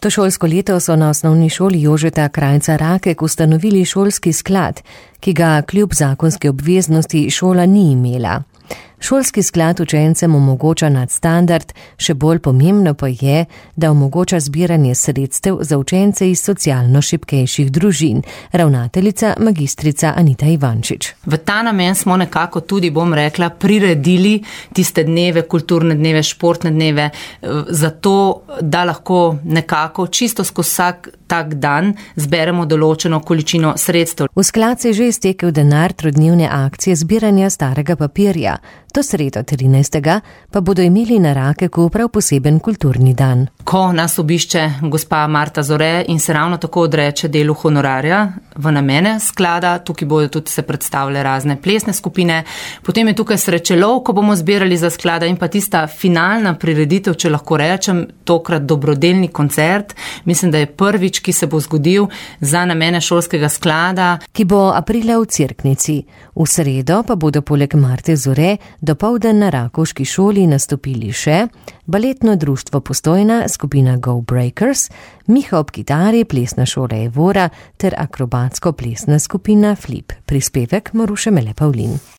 To šolsko leto so na osnovni šoli Jožeta Krajnca Rakek ustanovili šolski sklad, ki ga kljub zakonski obveznosti šola ni imela. Šolski sklad učencem omogoča nadstandard, še bolj pomembno pa je, da omogoča zbiranje sredstev za učence iz socialno šibkejših družin, ravnateljica magistrica Anita Ivančič. V ta namen smo nekako tudi, bom rekla, priredili tiste dneve, kulturne dneve, športne dneve, zato da lahko nekako čisto skozi vsak tak dan zberemo določeno količino sredstev. V sklad se je že iztekel denar trodnevne akcije zbiranja starega papirja. To sredo 13. pa bodo imeli na Rakeku prav poseben kulturni dan. Ko nas obišče gospa Marta Zore in se ravno tako odreče delu honorarja v namene sklada, tukaj bodo tudi se predstavile razne plesne skupine, potem je tukaj srečelov, ko bomo zbirali za sklada in pa tista finalna prireditev, če lahko rečem, tokrat dobrodelni koncert. Mislim, da je prvič, ki se bo zgodil za namene šolskega sklada. Ki bo aprila v Cerknici. V sredo pa bodo poleg Marte Zore dopoldan na Rakovški šoli nastopili še baletno društvo Postojna, skupina Go Breakers, Miha ob kitari, plesna šola Evora ter akrobatsko plesna skupina Flip. Prispevek Maruše Mele Pavlin.